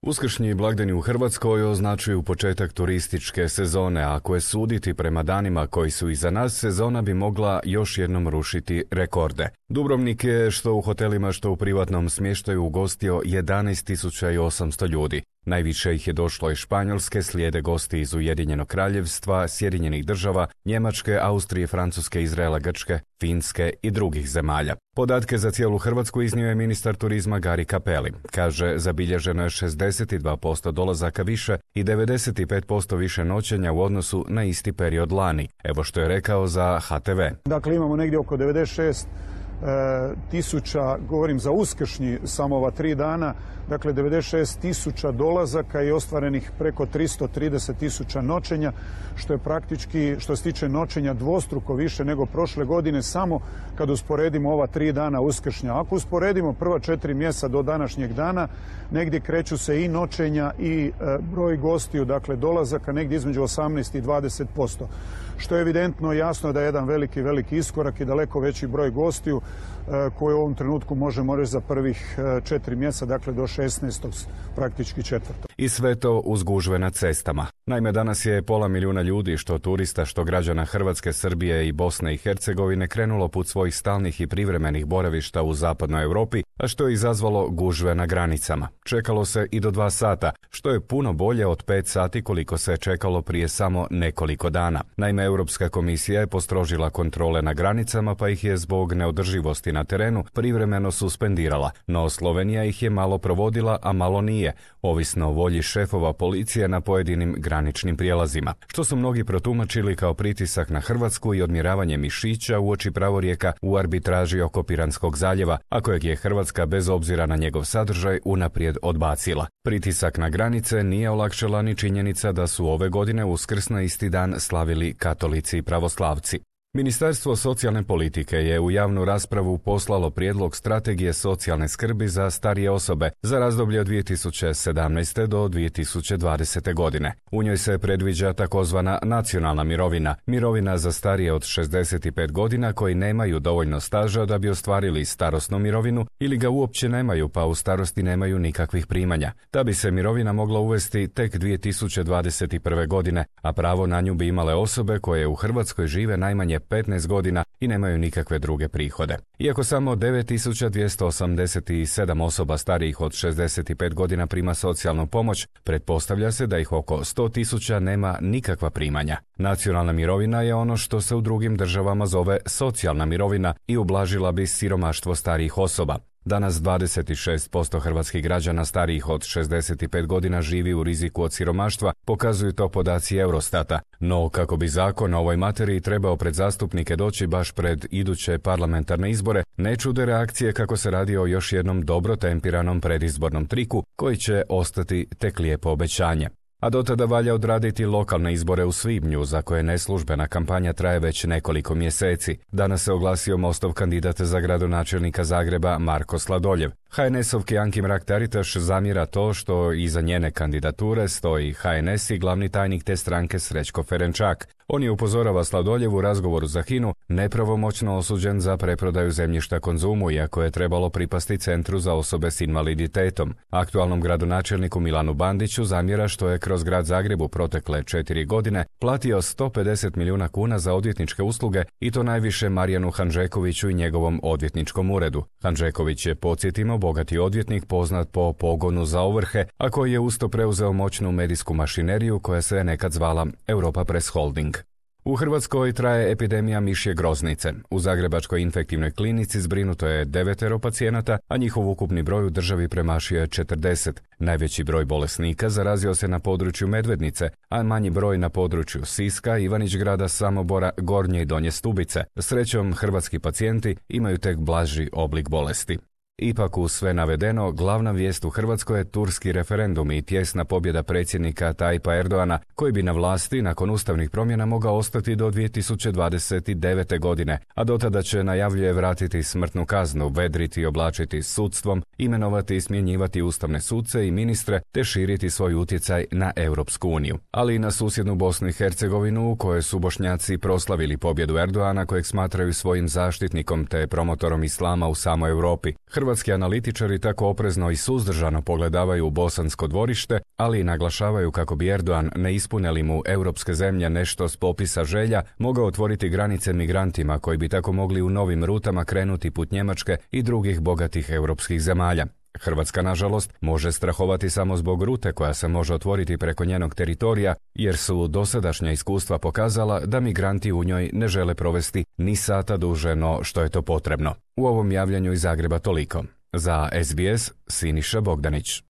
Uskršnji blagdani u Hrvatskoj označuju početak turističke sezone, a ako je suditi prema danima koji su iza nas, sezona bi mogla još jednom rušiti rekorde. Dubrovnik je što u hotelima, što u privatnom smještaju ugostio 11.800 ljudi. Najviše ih je došlo iz Španjolske, slijede gosti iz Ujedinjenog Kraljevstva, Sjedinjenih Država, Njemačke, Austrije, Francuske, Izraela, Grčke, Finske i drugih zemalja. Podatke za cijelu Hrvatsku iznio je ministar turizma Gari Cappelli. Kaže, zabilježeno je 62% dolazaka više i 95% više noćenja u odnosu na isti period lani. Evo što je rekao za HTV. Dakle, imamo negdje oko 96 tisuća, govorim za uskršnji samo ova 3 dana, dakle 96 tisuća dolazaka i ostvarenih preko 330 tisuća noćenja, što je praktički, što se tiče noćenja, dvostruko više nego prošle godine, samo kad usporedimo ova 3 dana uskršnja. Ako usporedimo prva 4 mjeseca do današnjeg dana, negdje kreću se i noćenja i broj gostiju, dakle dolazaka, negdje između 18 i 20%. Što je evidentno jasno da je jedan veliki iskorak i daleko veći broj gostiju koji u ovom trenutku možemo reći za prvih 4 mjeseca, dakle do 16. praktički 4. I sve to uz gužve na cestama. Naime, danas je 500.000 ljudi, što turista, što građana Hrvatske, Srbije i Bosne i Hercegovine, krenulo put svojih stalnih i privremenih boravišta u zapadnoj Europi, a što je izazvalo gužve na granicama. Čekalo se i do 2 sata, što je puno bolje od 5 sati koliko se čekalo prije samo nekoliko dana. Naime, Europska komisija je postrožila kontrole na granicama, pa ih je zbog neodrživosti na terenu privremeno suspendirala, no Slovenija ih je malo provodila, a malo nije, ovisno o volji šefova policije na pojedinim graničnim prijelazima, što su mnogi protumačili kao pritisak na Hrvatsku i odmjeravanje mišića uoči pravorijeka u arbitraži oko Piranskog zaljeva, a kojeg je Hrvatska bez obzira na njegov sadržaj unaprijed odbacila. Pritisak na granice nije olakšala ni činjenica da su ove godine Uskrs na isti dan slavili katolici i pravoslavci. Ministarstvo socijalne politike je u javnu raspravu poslalo prijedlog strategije socijalne skrbi za starije osobe za razdoblje od 2017. do 2020. godine. U njoj se predviđa takozvana nacionalna mirovina, mirovina za starije od 65 godina koji nemaju dovoljno staža da bi ostvarili starosnu mirovinu ili ga uopće nemaju pa u starosti nemaju nikakvih primanja. Ta bi se mirovina mogla uvesti tek 2021. godine, a pravo na nju bi imale osobe koje u Hrvatskoj žive najmanje 15 godina i nemaju nikakve druge prihode. Iako samo 9.287 osoba starijih od 65 godina prima socijalnu pomoć, pretpostavlja se da ih oko 100.000 nema nikakva primanja. Nacionalna mirovina je ono što se u drugim državama zove socijalna mirovina i ublažila bi siromaštvo starijih osoba. Danas 26% hrvatskih građana starijih od 65 godina živi u riziku od siromaštva, pokazuju to podaci Eurostata. No, kako bi zakon o ovoj materiji trebao pred zastupnike doći baš pred iduće parlamentarne izbore, ne čude reakcije kako se radi o još jednom dobro tempiranom predizbornom triku koji će ostati tek lijepo obećanje. A do tada valja odraditi lokalne izbore u svibnju, za koje neslužbena kampanja traje već nekoliko mjeseci. Danas se oglasio Mostov kandidat za gradonačelnika Zagreba Marko Sladoljev. HNS-ovki Anki Mrak-Taritaš zamjera to što iza njene kandidature stoji HNS i glavni tajnik te stranke Srećko Ferenčak. On je, upozorava Sladoljev u razgovoru za HINA-u, nepravomoćno osuđen za preprodaju zemljišta Konzumu, iako je trebalo pripasti Centru za osobe s invaliditetom. Aktualnom gradonačelniku Milanu Bandiću zamjera što je kroz grad Zagrebu protekle 4 godine platio 150 milijuna kuna za odvjetničke usluge i to najviše Marijanu Hanžekoviću i njegovom odvjetničkom uredu. Hanžeković je, podsjetimo, bogati odvjetnik poznat po pogonu za ovrhe, a koji je usto preuzeo moćnu medijsku mašineriju koja se nekad zvala Europa Press Holding. U Hrvatskoj traje epidemija mišje groznice. U Zagrebačkoj infektivnoj klinici zbrinuto je 9 pacijenata, a njihov ukupni broj u državi premašio je 40. Najveći broj bolesnika zarazio se na području Medvednice, a manji broj na području Siska, Ivanić-Grada, Samobora, Gornje i Donje Stubice. Srećom, hrvatski pacijenti imaju tek blaži oblik bolesti. Ipak, uz sve navedeno, glavna vijest u Hrvatskoj je turski referendum i tjesna pobjeda predsjednika Tajpa Erdoana, koji bi na vlasti nakon ustavnih promjena mogao ostati do 2029. godine, a do tada će, najavljuje, vratiti smrtnu kaznu, vedriti i oblačiti sudstvom, imenovati i smjenjivati ustavne suce i ministre, te širiti svoj utjecaj na Europsku uniju. Ali i na susjednu Bosnu i Hercegovinu, u kojoj su Bošnjaci proslavili pobjedu Erdoana, kojeg smatraju svojim zaštitnikom te promotorom islama u samoj Europi. Hrvatski analitičari tako oprezno i suzdržano pogledavaju u Bosansko dvorište, ali i naglašavaju kako bi Erdogan, ne ispune li mu europske zemlje nešto s popisa želja, mogao otvoriti granice migrantima koji bi tako mogli u novim rutama krenuti put Njemačke i drugih bogatih europskih zemalja. Hrvatska, nažalost, može strahovati samo zbog rute koja se može otvoriti preko njenog teritorija, jer su dosadašnja iskustva pokazala da migranti u njoj ne žele provesti ni sata duže no što je to potrebno. U ovom javljanju iz Zagreba toliko. Za SBS, Siniša Bogdanić.